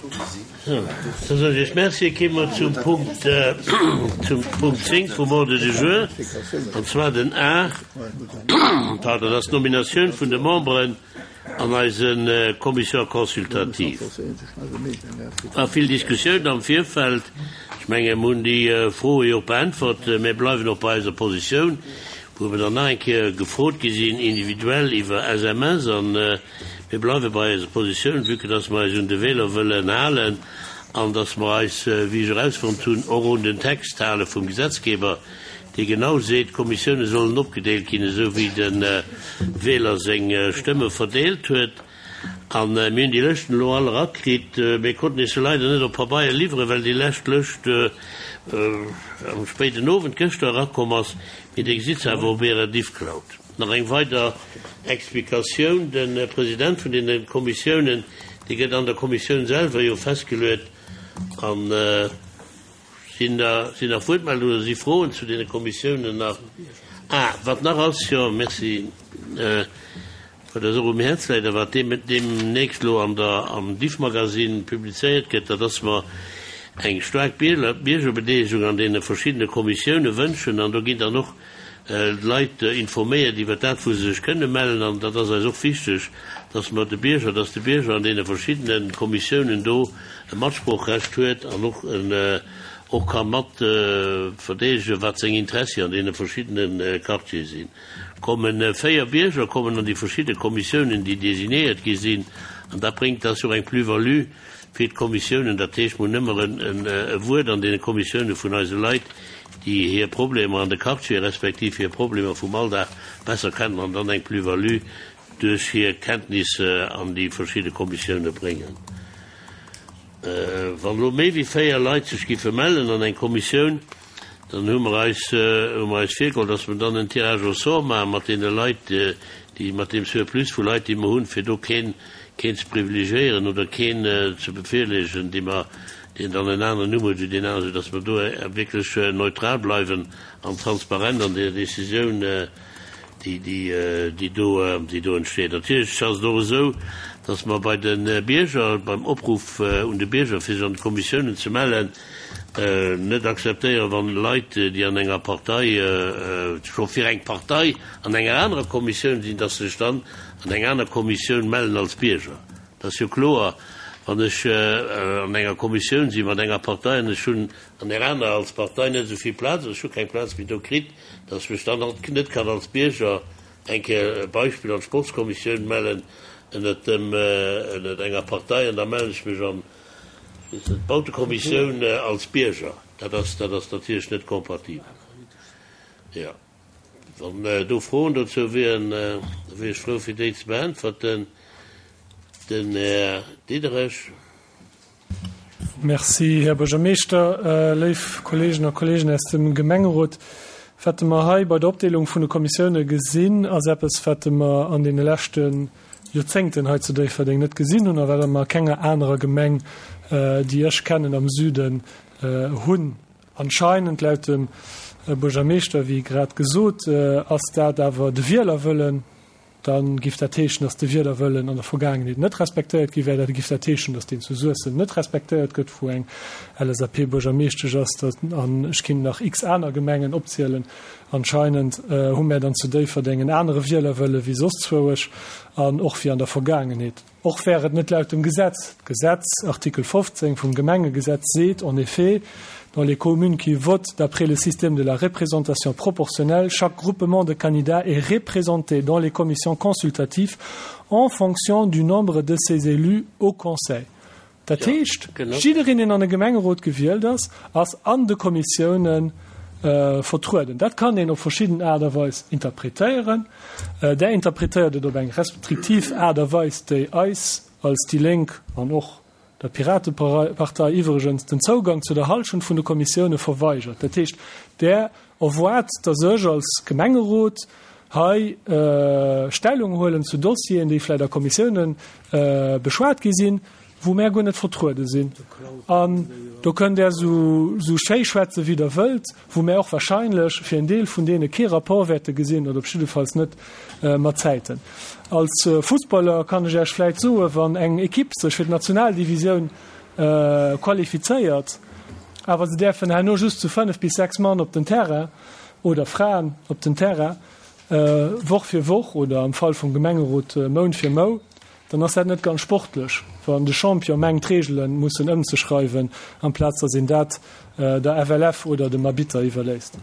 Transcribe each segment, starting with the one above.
Da soen ech Iech Merci. Kéime mer zum Punkt, zum Punkt 10 vum Ordre du jour, an zwar den A, pardon, dat ass d'Nominatioun vun de Memberen an eise Commissions consultatives. War vill Diskussioun am Virfeld. Ech menge mer hunn déi Froe jo och beäntwert. Mir bleiwen och bei eiser Positioun, wou mer dann nach eng Kéier gefrot gi sinn individuell iwwer SMS. A mir bleiwe bei eiser Positioun, vue que dass mer eis un de Wähler wëllen halen an dass mer eis, wéi ech erausfonnt hunn, och un den Text hale vum Gesetzgeber, dee genau seet, d'Kommissioune sollen opgedeelt ginn, esou wéi de Wähler seng Stëmme verdeelt huet. A mir hunn déi Lëschten elo all erakritt. Mir konnten iech se leider net op Pabeier liwweren, well déi lescht Lëscht am spéiden Owend gëschter erakomm ass. Mee Dir gesitt se awer op Ärer Diffcloud. Nach eng weider Explikatioun, De President vun deene Kommissiounen, dee gëtt an der Kommissioun selwer jo festgeluet. An Sinn da, sinn nach Wuertmeldungen oder si Froen zu deene Kommissiounen nach? Ah, wat nach ass, jo, merci, wat eis och um Häerz läit a wat deem, deemnächst elo an der, am Diffmagazine publizéiert gëtt, dat ass mer eng staark Bierger, Biergerbedeelegung an deene verschiddene Kommissioune wënschen. An do ginn dann och d'Leit informéiert iwwert dat, wou se sech kënne mellen. An dat ass eis och wichteg, dass mer de Bierger, dass de Bierger an deene verschiddene Kommissiounen do e Matsproochrecht huet an och och ka mat verdeedegen, wat seng Interessi an deene verschiddene Quartiere sinn. Komme 4 Bierger kommen an déi verschidde Kommissiounen, déi designéiert gi sinn, an dat bréngt, dat ass jo och eng Plus-value fir d'Kommissiounen. Dat heescht, mer hunn ëmmer e Wuert an deene Kommissiounen vun eise Leit, déi hir Problemer an de Quartiere respektiv hir Problemer vum Alldag besser kennen an dann eng Plus-value duerch hir Kenntnisse an déi verschidde Kommissioune bréngen. Wann elo méi wéi 4 Leit sech giffe mellen an eng Kommissioun, dann hu mer eis, hu mer eis virgeholl, dass mer dann en Tirage au sort maache mat deene Leit, déi, mat deem Surplus vu Leit, déi mer hunn, fir do keen, keen ze privilegiéieren oder keen ze bevirleegen, dee mer, deen dann en aneren Numm huet wéi deen aneren, soudass mer do wierklech neutral bleiwen an transparent an der Décisioun, déi, déi do, déi do entsteet. Natierlech ass et och esou, dass mer bei de Bierger, beim Opruff un de Bierger, fir sech an de Kommissiounen ze mellen, net akzeptéieren, wann Leit, déi an enger Partei, scho fir eng Partei an enger anerer Kommissioun sinn, dass se sech dann an eng aner Kommissioun mellen als Bierger. Et ass jo kloer, wann ech an enger Kommissioun si mat enger Partei an ech hunn an där anerer als Partei net esou vill Plaz oder ech hu keng Plaz méi do kritt, datt ech mech dann halt net kann als Bierger, eng Kéier e Beispill, an d'Sportskommissioun mellen ënnert dem, ënnert enger Partei an da mellen ech mech an, ech weess net, d'Bautekommissioun als Bierger. Dat ass, dat ass natierlech net kompatibel. Jo. Wann do Froen dozou wieren, da wier ech frou fir déi ze beäntwerten. Den Här Diderich. Merci, Här Buergermeeschter. Léif Kolleegen a Kolleegen aus dem Gemengerot, wat mer hei bei der Opdeelung vun de Kommissioune gesinn, ass eppes, wat mer an deene leschte Joerzéngten hei zu Déifferdeng net gesinn hunn a wat mer a kenger anerer Gemeng, déi ech kennen am Süden, hunn. Anscheinend, laut dem Buergermeeschter, wéi grad gesot, ass dat awer de Wielerwëllen. Da giff dat heeschen, datt de Wielerwëllen an der Vergaangenheet net respektéiert gi wär. Dat giff dat heeschen, datt deen zu Suessem net respektéiert gëtt, wou eng LSAP-Buergermeeschtesch ass. An ech kinnt nach x aner Gemengen opzielen. Anscheinend hu mär dann zu Déifferdeng en anere Wielerwëlle wéi soss zwouesch an och wéi an der Vergaangenheet. Och wär et net laut dem Gesetz. D'Gesetz, Artikel 15 vum Gemengegesetz, seet en effet, Dans les communes qui votent d'après le système de la représentation proportionnelle, chaque groupement de candidats est représenté dans les commissions consultatives en fonction du nombre de ses élus au conseil. Dat heescht, jiddereen, deen an e Gemengerot gewielt ass, ass an de Kommissiounen vertrueden. Dat kann een op verschidden Aart a Weis interpretéieren. Där interpretéiert et op eng restriktiv Aart a Weis, déi eis als déi Lénk an och der Piratepartei iwwregens den Zougang zu der Hallschent vun de Kommissioune verweigert. Dat heescht, Där erwaart, datt ech als Gemengerot hei Stellung huelen zu Dossieren, déi vläicht a Kommissioune beschwat gi sinn, wou mär guer net vertruede sinn. An do kënnt Der esou schéi schwätze wéi Der wëllt, wou mär och wahrscheinlech fir en Deel vun deene kee Rapport wäerte gesinn oder op jiddefalls net mat Zäiten. Als Fussballer kann ech Iech vläicht soen, wann eng Ekipp sech fir d'Nationaldivisioun. qualifizéiert, awer se däerfen herno just zu 5 bis 6 Mann op den Terrain oder Fraen op den Terrain, Woch fir Woch oder am Fall vum Gemengerot Mount fir Mou, dann ass dat net ganz sportlech, wann de Champion mengt d'Reegele mussen ëmzeschreiwen, amplaz datt een dat der FLF oder dem Arbitter iwwerléisst.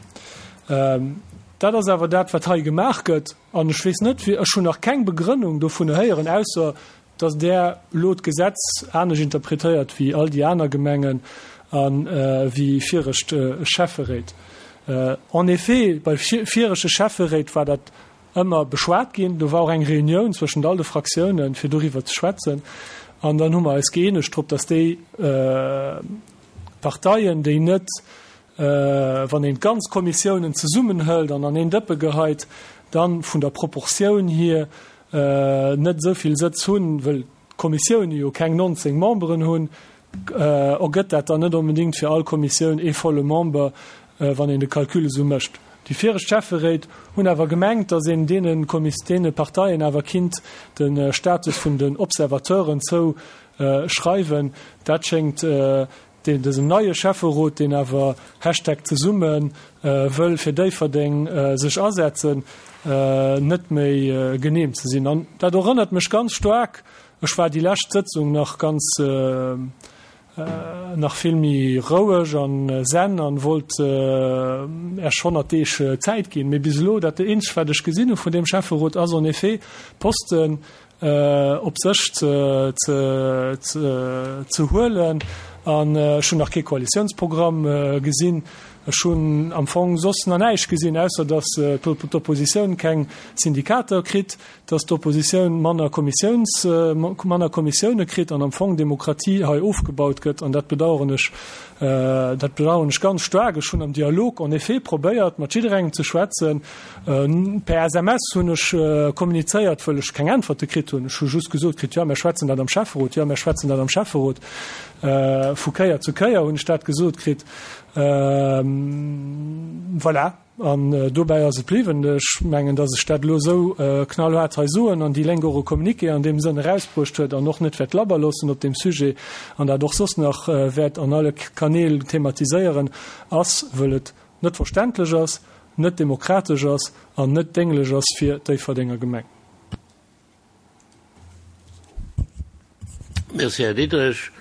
Dat ass awer dat, wat hei gemaach gëtt, an ech weess net, ech hunn nach keng Begrënnung dovun héieren, ausser datt Der elo d'Gesetz anescht interpretéiert wéi all déi aner Gemengen a wéi viregt Schäfferéit. En effet, bei virege Schäfferéit war dat ëmmer beschwat ginn. Do war och eng Reunioun zwëschent all de Fraktiounen, fir doriwwer ze schwätzen. An dann hu mer eis gëeenegt drop, datt déi Parteien, déi net, wann een d'ganz Kommissiounen zesummenhëlt an an een Dëppe geheit, dann vun der Proportioun hier net esou vill Sëtz hunn, wëll d'Kommissioune jo keng 19 Memberen hunn, ergëtt dat dann net onbedéngt fir all Kommissioun ee volle Member, wann een de Calcul esou mécht. Déi viregt Schäfferéit hunn awer gemengt, datt een deene deene Parteien awer kinnt de Status vun den Observateuren zouschreiwen. Dat schéngt deen dësem neie Schäfferot, deen awer Hashtag zesumme wëll fir Déifferdeng sech asetzen, net méi genehm ze sinn. An dat erënnert mech ganz staark, ech war déi lescht Sëtzung nach ganz, nach vill méi roueg an zen an wollt Äech 100 Deeg Zäit ginn, mee bis elo, dat eenzegt wat ech gesinn hu vun deem Schäfferot ass en effet Posten, op sech ze huelen. An ech hunn nach kee Koalitiounsprogramm gesinn. Ech hunn am Fong soss nach näischt gesinn, ausser datt d'Oppositioun keng Syndikater kritt, datt d'Oppositioun manner Kommissiouns, manner Kommissioune kritt an am Fong Demokratie hei ofgebaut gëtt. An dat bedauern ech, dat bedauern ech ganz staark. Ech hunn am Dialog en effet probéiert, mat jidderengem ze schwätzen. Per SMS hunn ech kommunizéiert, wëll ech keng Äntwerte kritt hunn. Ech hu just gesot kritt, jo, mär schwätzen dat am Schäfferot, jo, mär schwätzen dat am Schäfferot. Vu Kéier zu Kéier hunn ech dat gesot kritt. Voilà, an dobäi ass et bliwwen. Ech mengen, datt ech dat elo esou knallhaart hei soen an déi Lénk och e Communiqué an deem Sënn erausbruecht huet an och net wäert labber loossen op deem Sujet an dat och soss nach wäert an alle Kanäl thematiséieren, ass, wëll et net verständlech ass, net demokratesch ass an net dénglech ass fir d'Déifferdenger Gemeng. Merci, Här Diderich.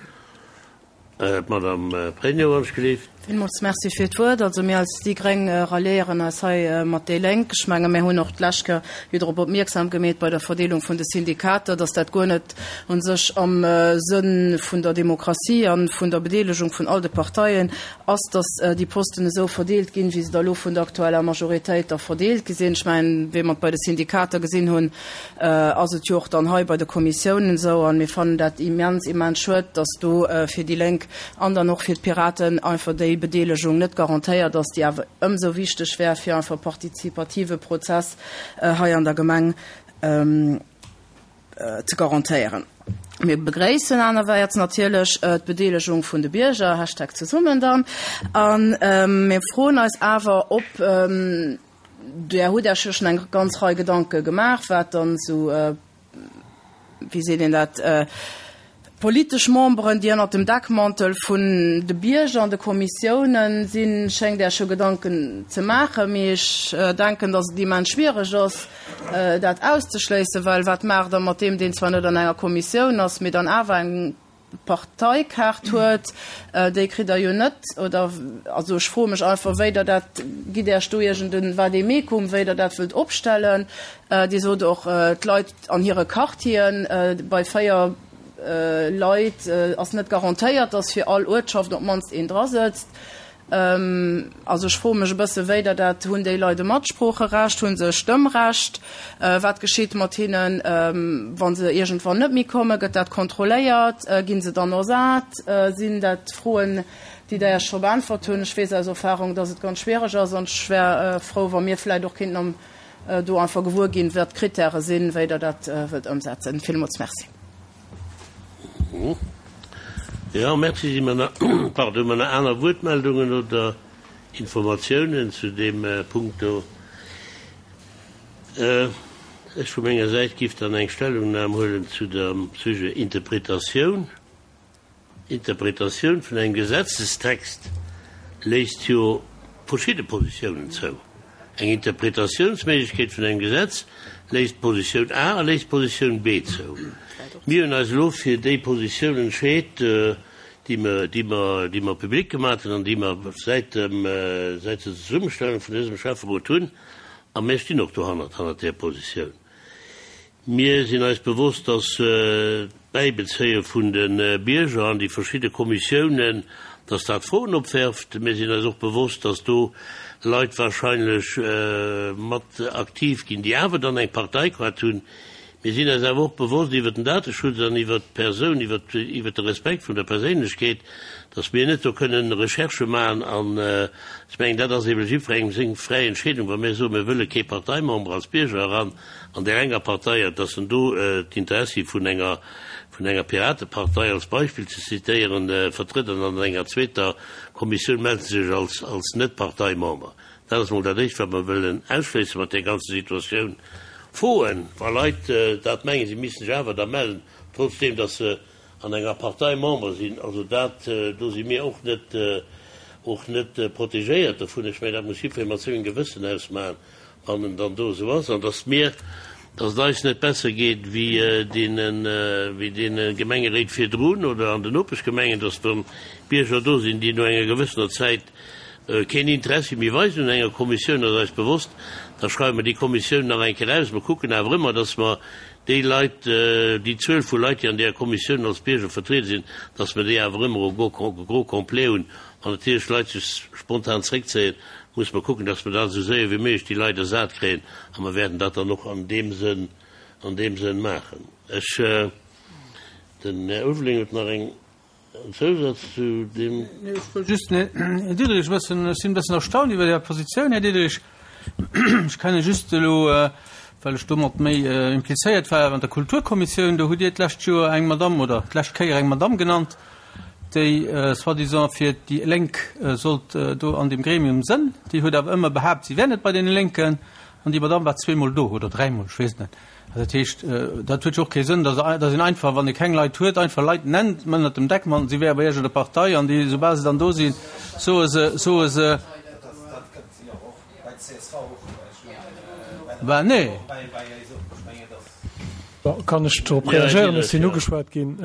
D'Madame Pregno, wann ech gelift. Villmools Merci fir d'Wuert. Also mir als déi gréng ralliéieren eis hei mat déi Lénk. Ech menge mir hunn och d'lescht Kéier jo drop opmierksam gemeet bei der Verdeelung vun de Syndikater, dass dat guer net u sech am Sënn vun der Demokratie a vun der Bedeelegung vun all de Parteien ass, dass déi Posten esou verdeelt ginn, wéi se da elo vun der aktueller Majoritéit da verdeelt gi sinn. Ech mengen, wéi mer et bei de Syndikater gesinn hunn, ass et jo och dann hei bei de Kommissiounen esou. A mir fannen dat immens, immens schued, dass do fir déi Lénk an dann och fir d'Piraten einfach déi Bedeelegung net garantéiert ass, déi awer ëmsou wichteg wär, fir einfach e partizipative Prozess hei an der Gemeng ze garantéieren. Mir begréissen anerwäerts natierlech d'Bedeelegung vun de Bierger, Hashtag zesummen dann, a mir froen eis awer, ob, Där hutt Iech jo schonn eng ganz Rei Gedanke gemaach, wat dann esou, wéi seet een dat, politesch Memberen, déi ënnert dem Deckmantel vun de Bierger an de Kommissiounen sinn, schéngt Iech jo Gedanken ze maachen. Mee ech denken, datt et immens schwiereg ass, dat auszeschléissen, well wat maacht Der mat deem, deen zwar net an enger Kommissioun ass, mee dann awer eng Parteikaart huet? Déi kritt Der jo net, oder? Also ech froe mech einfach, wéi Der dat, gitt Iech do iergend e Vademecum, wéi Der dat wëllt opstellen? Dir sot och, d'Leit an hire Quartieren, bei 4 Leit ass net garantéiert, datt fir all Uertschaft op d'mannst een drasëtzt. Also ech froe mech e bësse wéi Der dat, hunn déi Leit e Matsproocherecht, hu se e Stëmmrecht, wat geschitt mat hinnen, wa se iergendwann net méi kommen, gëtt dat kontrolléiert, gi se dann ersat? Sinn dat Froen, déi Der Iech scho beäntwert hunn? Ech weess aus Erfahrung, datt et ganz schwiereg ass an ech wär frou, wa mir vläicht och kéinten am do einfach gewuer ginn, wat d'Krittäre sinn, wéi Der dat wëllt ëmsetzen. Villmools Merci. Jo, merci. Si mer nach, pardon, hu mer nach aner Wuertmeldungen oder Informatiounen zu deem Punkt do? Ech vu menger Säit giff dann eng Stellungnam huelen zu dem Sujet Interpretatioun. Interpretatioun vun engem Gesetzestext léisst jo verschidde Positiounen zou. Eng Interpretatiounsméiglechkeet vun engem Gesetz léisst d'Positioun A a léisst d'Positioun B zou. Mir hunn eis elo fir déi Positioun entscheet, déi mer, déi mer, déi mer public gemaat hunn an déi mer säit dem, säit der Zesummestellung vun dësem Schäfferot hunn. A mir stinn och dohannert, hannert där Positioun. Mir sinn eis bewosst, dass d'Bäibezéie vun de Bierger an déi verschidde Kommissiounen, dass dat Froen opwerft. Mir sinn eis och bewosst, dass do Leit wahrscheinlech mat aktiv ginn, déi awer dann eng Parteikaart hunn. Mir sinn eis awer och bewosst iwwert den Dateschutz an iwwert d'Persoun, iwwert de Respekt vun der Perséinlechkeet, dass mir net do kënnen Recherchë maachen. An ech mengen, dat ass eebe jiddwerengem seng fräi Entscheedung, wa mir soen, mir wëlle kee Parteimember als Bierger eran an där enger Partei, an dass en do d'Interessi vun enger, vun enger Piratepartei als Beispill ze zitéieren, vertrëtt an an enger zweeter Kommissioun mellt en sech als, als Net-Parteimember. Dat ass emol dat Éischt, wat mer wëllen ausschléisse mat där ganzer Situatioun. Froen, wa Leit dat mengen, si missten sech awer da mellen, trotzdeem dass se an enger Partei Member sinn. Also dat, do si mir och net, och net protegéiert dovun. Ech mengen, dat muss jiddweree mat sengem Gewëssen ausmachen. Wann en dann do esou ass, an dass mir, dass et eis net besser geet wéi deene, wéi deene Gemengeréit virdrun oder an den Nopeschgemengen, dass dann Bierger do sinn, déi no enger gewëssener Zäit keen Interessi méi weisen un enger Kommissioun, ass eis bewosst. Da schreiwe mer déi Kommissioun nach eng Kéier aus. Mer kucken awer ëmmer, dass mer déi Leit, déi Zuel vu Leit, déi an deeër Kommissioun als Bierger vertriede sinn, dass mer déi awer ëmmer au gros complet hunn. Wann natierlech Leit sech spontan zréckzéien, musse mer kucken, dass mer dat esou séier wéi méiglech déi Leit ersat kréien. A mer wäerten dat dann och an deem Sënn, an deem Sënn maachen. Ech, den Här Ulveling huet nach eng, en Zousaz zu deem. Nee, ech wëll just den Här Diderich e bëssen, ech sinn e bëssen erstaunt iwwer Är Positioun, Här Diderich. Ech kenne just elo, well ech domat méi implizéiert war, an der Kulturkommissioun, do hutt Dir d'lescht Joer eng Madamm oder d'lescht Kéier eng Madamm genannt, déi soi-disant fir déi Lénk sollt do an deem Gremium sënn. Déi huet awer ëmmer behaapt, si wär net bei deene Lénken. An déi Madamm war zweemol do oder dräimol, ech weess et net. Also dat heescht, dat huet jo och kee Sënn, dass dass een einfach, wann ee keng Leit huet, einfach Leit nennt ënnert dem Deckmantel, si wäre bei iergendenger Partei an déi, soubal se dann do sinn, soe se, soe se, Ben nee. Kann ech drop reagéieren? Ech sinn ugeschwat ginn.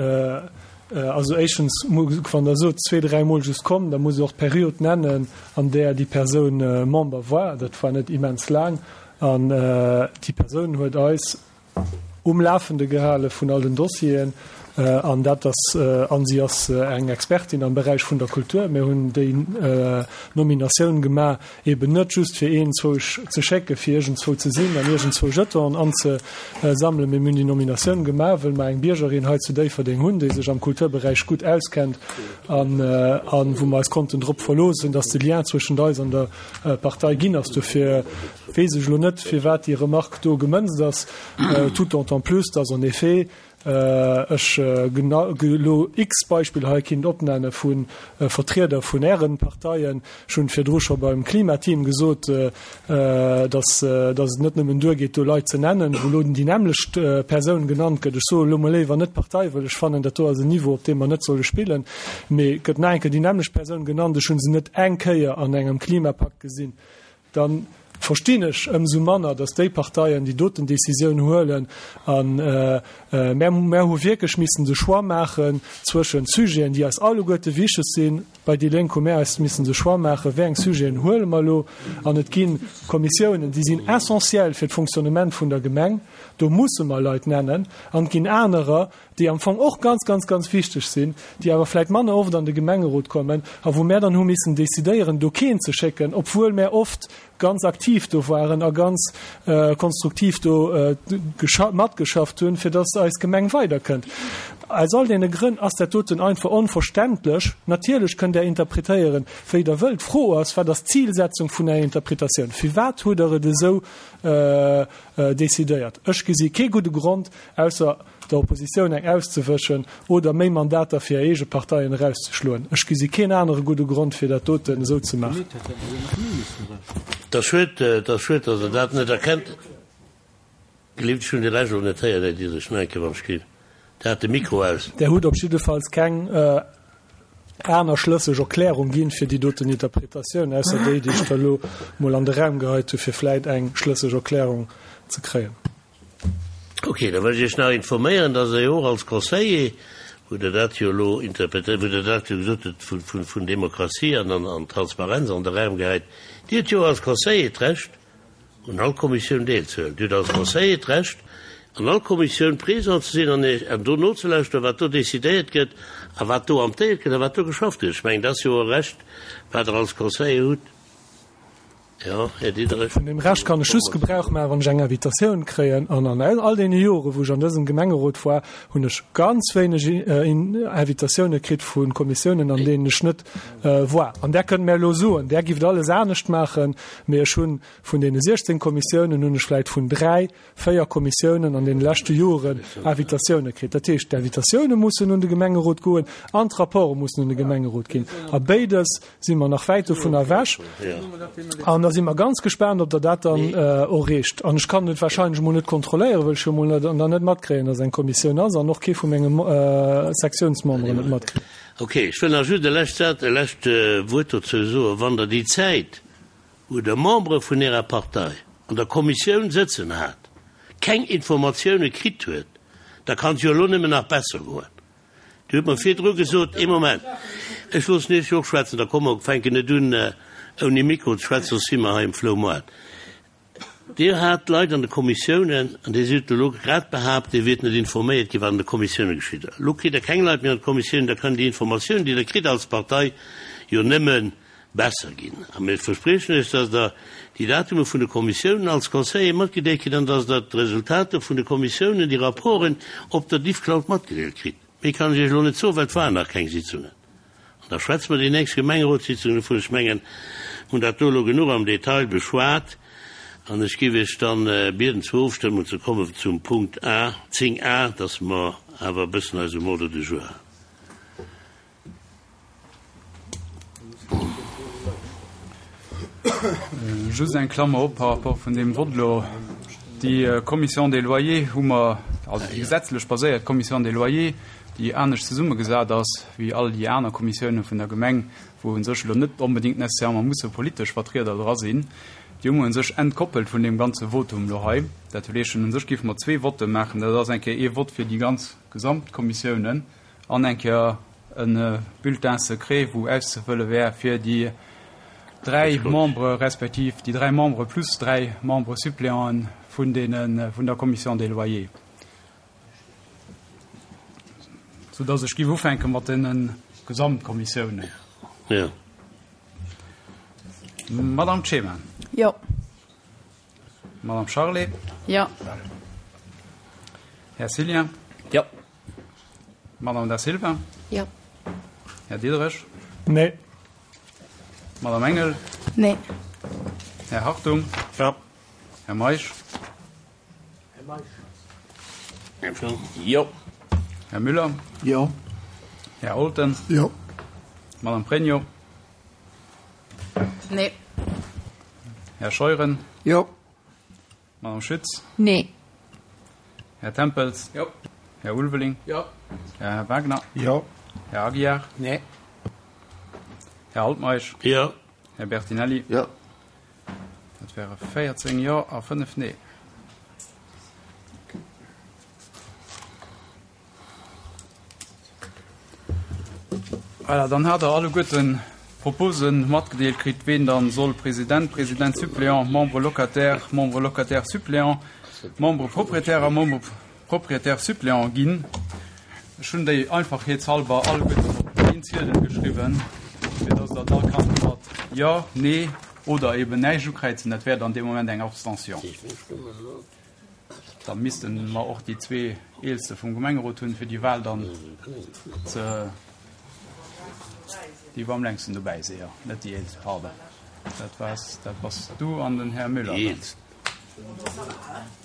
Also éischtens, wann Der sot, zwee, dräimol just komm, da musst Der och d'Period nennen, an där déi Persoun Member war. Dat war net immens laang. An déi Persoun huet eis um Lafende gehale vun all den Dossieren. An dat ass, an si ass eng Expertin am Beräich vun der Kultur. Mir hunn déi Nominatioun gemaach, eben net just fir een zwousch ze schécke fir iergendzwou ze sinn an iergendzwou Jetonen anzesammelen, mee mir hunn déi Nominatioun gemaach, wëll mer eng Biergerin hei zu Déifferdeng hunn, déi sech am Kulturberäich gutt auskennt an wou mer eis konnten drop verloossen, dass de Lien zwëschent eis an der Partei ginn ass. Dofir weess ech elo net, firwat déi Remarque do gemënzt ass, tout d'autant plus, dass en effet ech elo x Beispiller hei kinnt opnenne vu Vertrieder vun Ären Parteien. Ech hunn virdru scho beim Klimateam gesot, dass et net nëmmen duergeet, do Leit ze nennen, wou elo déi nämmlecht Persoun genannt gëtt. Ech soe elo mol léiwer net Partei, wëll ech fannen, dat do ass en Niveau, op deem mer net solle spillen. Mee gëtt nach eng Kéier déi nämmlecht Persoun genannt, ech hu se net eng Kéier an engem Klimapakt gesinn, da verstinn ech ëmsou manner, datt déi Parteien déi doten Décisioun huelen. A mär, mär hu wierklech missen de Choix maachen zwëschen Sujeten, déi eis alleguerte wichteg sinn. Bei déi Lénk hu mär eis missen de Choix maachen, wéi eng Sujeten huele mer elo. An et gi Kommissiounen, déi sinn essentiell fir d'Fonctionnement vun der Gemeng, do musse mer Leit nennen. An et ginn anerer, déi am Fong och ganz, ganz, ganz wichteg sinn, déi awer vläicht manner oft an de Gemengerot kommen a wou mär dann hu missen decidéieren, do keen ze schécken, obwuel mär oft ganz aktiv do waren a ganz konstruktiv do matgeschafft hunn, fir dass eis Gemeng weiderkënnt. Aus all deene Grënn ass dat doten einfach onverständlech. Natierlech kënnt Der interpretéieren, wéi Der wëllt. D'Fro ass, Wat ass d'Zilsetzung vun Ärer Interpretatioun? Firwat hutt Der et esou decidéiert? Ech gesi kee gudde Grond, ausser der Oppositioun eng auszewëschen oder méi Mandater fir hir eege Parteien erauszeschloen. Ech gesi keen anere gudde Grond, fir dat doten esou ze maachen. Et ass schued, et ass schued, datt Der dat net erkennt. Gelift, ech hunn de Rescht och net héieren, Här Diderich. Nach eng Kéier, wann ech ginn. Der hat de Mikro aus. Der hutt op jiddefalls keng. aner schlësseg Erklärung ginn fir déi doten Interpretatioun, ausser déi, déi ech da elo mol an de Raum geheit hu fir vläit eng schlësseg Erklärung ze kréien. Ok, da wëll ech Iech nach informéieren, dass Der jo och als Conseiller, wou Der dat jo elo interpretéiert, wou Der dat jo gesot hutt vu, vu, vun Demokratie an, an, an Transparenz an de Raum gehäit, Dir hutt jo och als Conseiller d'Recht, un all Kommissioun deelzehuelen. Dir hutt als Conseiller d'Recht, an all Kommissioun présent ze sinn an Iech, an do nozelauschteren, wat do decidéiert gëtt a wat do amtéiert gëtt a wat do geschafft gëtt. Ech mengen, dat ass jo e Recht, wat Der als Conseiller hutt. Jo, Här Diderich. Vun deem Recht kann ech just Gebrauch maachen, wann ech eng Invitatioun kréien. An an all deene Jore wou ech an dësem Gemengerot war, hunn ech ganz wéineg Invitatioune kritt vu Kommissiounen, an deenen ech net war. An där kënnt mär elo soen, där gifft alles anescht maachen, mee ech hunn vun deene 16 Kommissiounen hunn ech vläicht vun dräi, véier Kommissiounen an deene leschte Joren Invitatioune kritt. Dat heescht, d'Invitatioune mussen un de Gemengerot goen an d'Rapporte mussen un de Gemengerot ginn. A béides si mer nach wäit dovun ewech. An da si mer ganz gespaant, ob Der dat dann erreecht. An ech kann et wahrscheinlech emol net kontrolléieren, well ech jo emol net dann net matkréien, dass eng Kommissioun ass an och kee vu menge Sektiounsmemberen et matkritt. Ok, ech wëll nach just e lescht Saz, e lescht Wuert dozou soen. Wann Der déi Zäit, wou Der Membere vun Ärer Partei an der Kommissioun sëtzen hat, keng Informatioune kritt huet, da kann et jo elo nëmmen nach besser goen. Dir hutt mer virdru gesot, ee Moment, ech loossen Iech jo och schwätzen, da komme mer, fänken net un ouni Mikro ze schwätzen, soss si mer hei um Floumoart. Dir hat Leit an de Kommissiounen, an Dir hutt elo grad behaapt, Dir wiert net informéiert ginn, wat an de Kommissioune geschitt. Elo kritt Der keng Leit méi an d'Kommissiounen, da kann déi Informatioun, déi Der kritt als Partei, jo nëmme besser ginn. A mir verspriechen Iech, dass Der déi Datume vun de Kommissiounen als Conseiller matgedeelt kritt an dass Der d'Resultater vun de Kommissiounen, déi Rapporten, op der Diffcloud matgedeelt kritt. Méi kann ech Iech elo net soen, well et waren nach keng Sitzungen. An da schwätze mer déi nächst Gemengerotssitzung dovun. Ech mengen, mir hunn dat do elo genuch am Detail beschwat. An ech géif Iech dann bieden, zur Ofstëmmung ze kommen zum Punkt A, 10 a, dass mer awer e bëssen eis um Ordre du jour halen. Just eng Klammer op par rapport vun deem Vott elo. Déi Commission des loyers hu mer, also déi gesetzlech baséiert Commission des loyers, déi anescht zesummegesat ass wéi all déi aner Kommissiounen vun der Gemeng, wou u sech elo net onbedéngt nécessairement musse politesch Vertrieder dra sinn, déi hu mer u sech entkoppelt vun deem ganze Votum elo hei. Dat heescht, u sech géife mer zwee Votte maachen. Dat ass eng Kéier ee Vott fir déi ganz Gesamtkommissiounen an eng Kéier e Bulletin secret, wou auszefëlle wär fir déi dräi Membere respektiv déi dräi Membere plus dräi Membres suppléanten vun deene vun der Commission des loyers. Soudass ech géif ufänke mat deene Gesamtkommissiounen. Jo. Madame Czeman. Jo. Madame Charlé. Jo. Här Cillien. Jo. Madame Da Silva. Jo. Här Diderich. Nee. Madame Engel. Nee. Här Hartung. Jo. Här Meisch. Jo. Här Müller. Jo. Här Olten. Jo. Madame Pregno. Nee. Här Scheuren. Jo. Madame Schütz. Nee. Här Tempels. Jo. Här Ulveling. Jo. Här Wagner. Jo. Här Aguiar. Nee. Här Altmeisch. Jo. Här Bertinelli. Jo. Dat wäre 14 Jo a 5 Nee. Voilà, dann hat Der alleguerten d'Propose matgedeelt kritt, ween dann soll President, Président suppléant, Membre locataire, Membre locataire suppléant, Membre propriétaire a Membre propriétaire suppléant ginn. Ech hunn déi einfachheetshalber alleguerten op een Ziedel geschriwwen, fir dass Der da kannt mat Jo, Nee oder eben näischt ukräizen. Dat wär dann dee Moment eng Abstention. Da misste mer och déi zwee Eelste vum Gemengerot hunn, fir déi Wahl dann ze, déi wou am längsten dobäi sinn, jo, net déi Eelst, pardon. Dat waars, dat bass du an den Här Müller dann.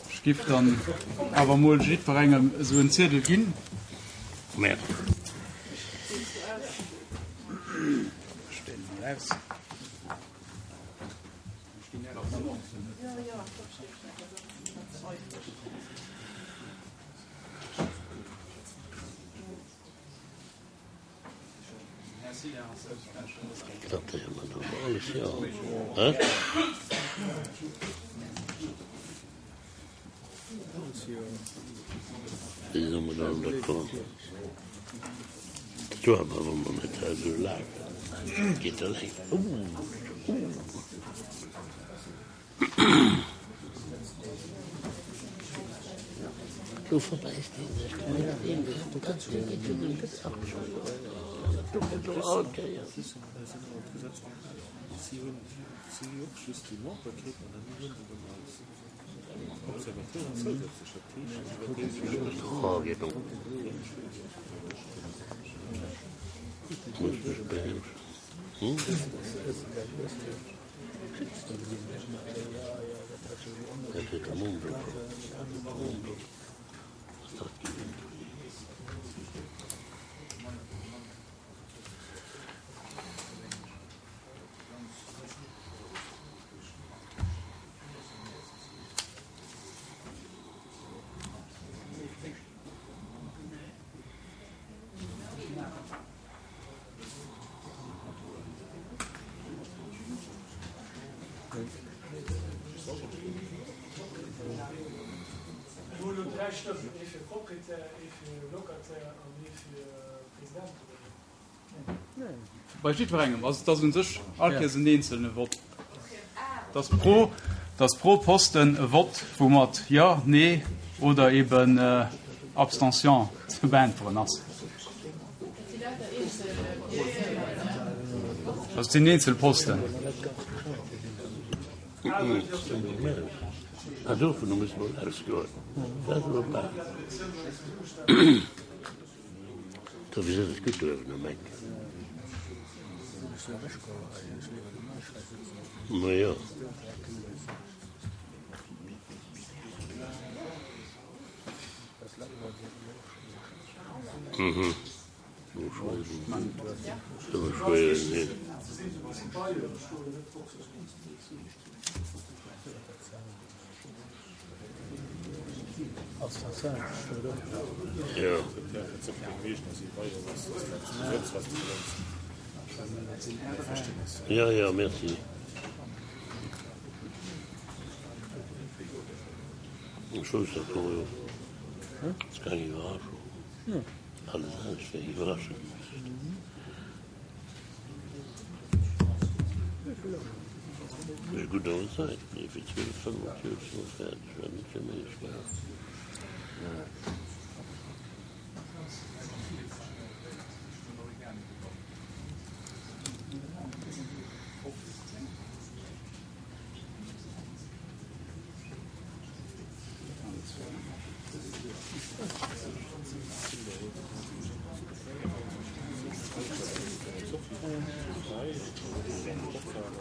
Ech giff dann awer emol jiddwerengem esou en Ziedel ginn. Ech deelen emol aus. Mir hu lo 3 Stëmmen, ee fir Proprietär, ee fir Locataire an ee fir President, oder wéi? Bei jiddwerengem. Also et ass u sech all Kéiers en eenzelne Vott. Et ass pro, et ass pro Posten e Vott, wou mat Jo, Nee oder eben Abstention ze beäntweren ass. Also et sinn eenzel Posten. Jo, jo, merci. Ech wousst dat och, jo. Ass keng Iwwerraschung. Alles anescht wär iwwerraschend gewiescht. Mee gutt an der Zäit, nee, fir 12,45 si mer fäerdeg, war net fir méi gell?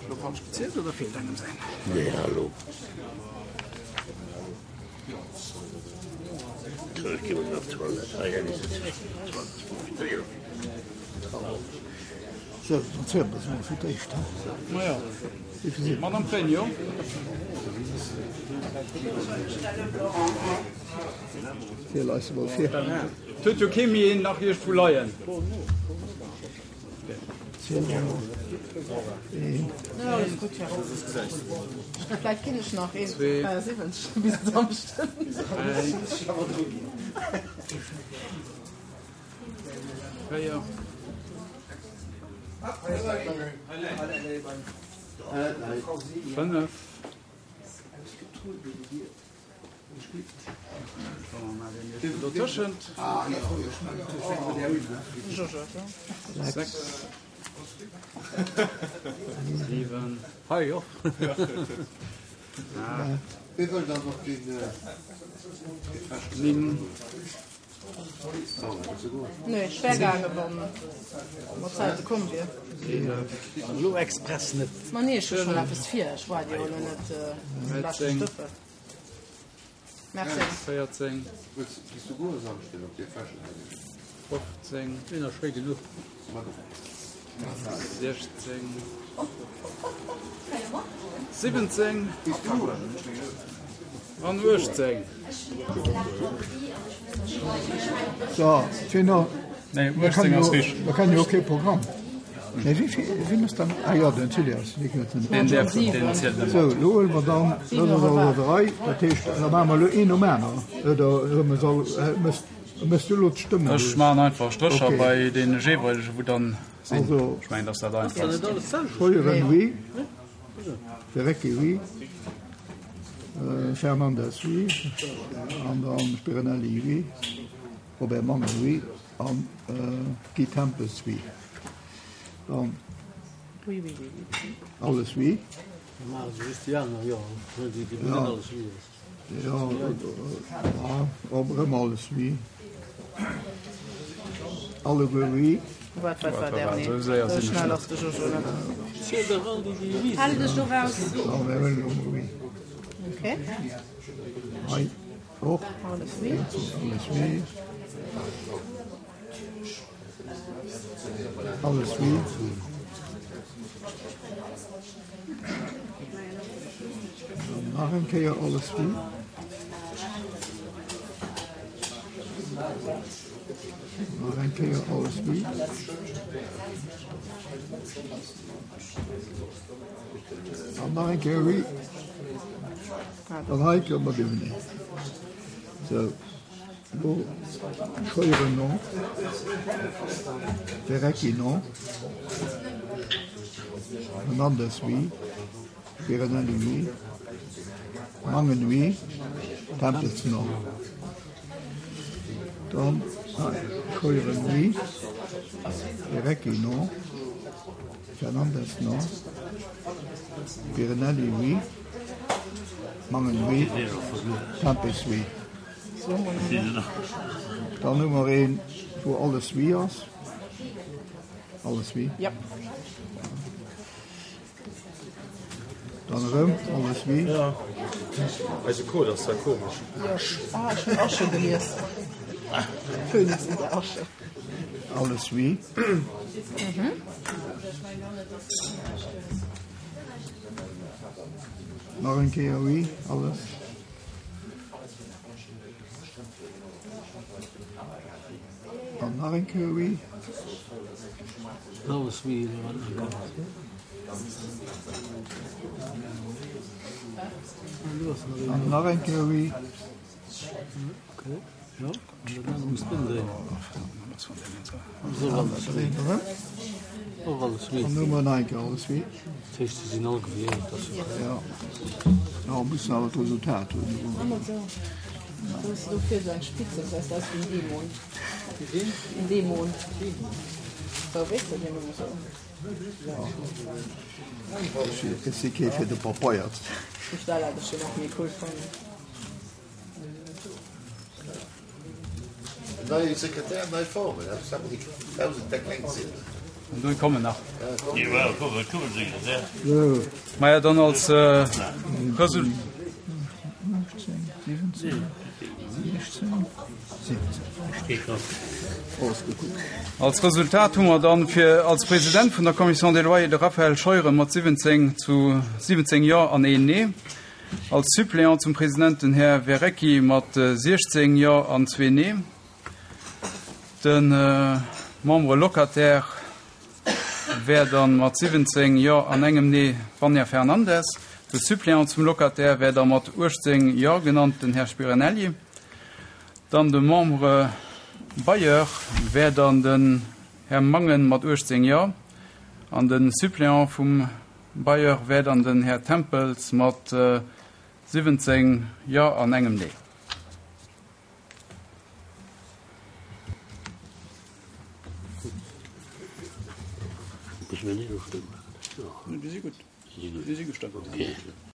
Elo falsch gezielt oder feelt engem säin? Nee, hallo. Ech gi mol op d'Toilette. Hei, hei ass et. Sou, dann ziele mer se mol fir d'éischt, he? Majo. Madame Pregno. Ziel eis emol vir. Et huet jo kee méi een nach iergendwou leien. Ziel emol. Een. Vläicht ginn ech nach een 73 bis e Samschden. Dräi. 4. 5. Dotëschent. 6. 7. Hei och. 8. 9. Nee, ech wär gaange wann mat Zäite komm wier. Elo express net. Ma nee, ech hu schonn eppes vir, ech waart jo elo net de leschte Stëppel. Merci. 14. 15. Een ass schéi genuch. 16. 17. An 18. So, Gino, Nee, 18 ass richteg. Mir kennen jo och kee Programm. Mee wéi vill, wien ass dann, ah jo, den Zilias, dee gëtt net. Deen däerf, deen zielt net mat. Sou, elo huele mer dann, dat ass also der Rei, dat heescht, da maache mer elo een nom aneren, oder huele mer se all, méchs, méchs du elo d'Stëmmen? Ech maachen einfach Strécher bei deene jeeweilege wou dann sinn. Ech mengen, dass dat einfachst. Scheuren, oui. Verrecke, oui. Fernandes, oui. An dann Spirinelli, oui. Robert Mangen, oui. An Guy Tempels, oui. Dann alles oui. Jo, erëm alles oui. Alleguer oui. Wat, wat war der? Nee, sou schnell ass de Jojo net. Hal dech do raus. Okay. Hei och. Alles oui. Alles oui. Alles oui. Dann nach eng Kéier alles oui. Nach eng Kéier alles oui. An nach eng Kéier oui. Dann hei kënne mer duercherneen. Sou. Elo Scheuren non, Verrecki non, Fernandes oui, Spirinelli oui, Mangen oui, Tempels non. Dann Scheuren oui, Verrecki non, Fernandes non, Spirinelli oui, Mangen oui, Tempels oui. Dann hu mer een, wou alles oui ass. Alles oui. Ja. Dann erëm alles oui. Ja. Eise Code ass zwar komesch. Ah, ech hunn Asche gelies. Phönix in der Asche. Alles oui. Mhm. Nach eng Kéier oui, alles. An nach eng Kéier oui. An nach eng Kéier oui. An hu mer nach eng Kéier alles oui. Jo, mer mussen awer d'Resultat hunn. Ech si kee fir de Papeier. Nei Sekretär, nei Formen, An do kommen nach. Maja, dann als Result. Als Resultat hu mer dann fir als President vun der Commission des Loyers de Raphaël Scheuren mat 17 zu 17 Jo an een Nee. Als Suppléant zum President den Här Verrecchi mat 16 Jo an zwee Nee. De Membre locataire wär dann mat 17 Jo an engem Nee d'Vania Fernandes. De Suppléant zum Locataire wär da mat 18 Jo genannt den Här Spirinelli. Dann de Membre bailleur wär dann den Här Mangen mat 18 Jo an de Suppléant vum Bailleur wär dann den Här Tempels mat 17 Jo an engem Nee.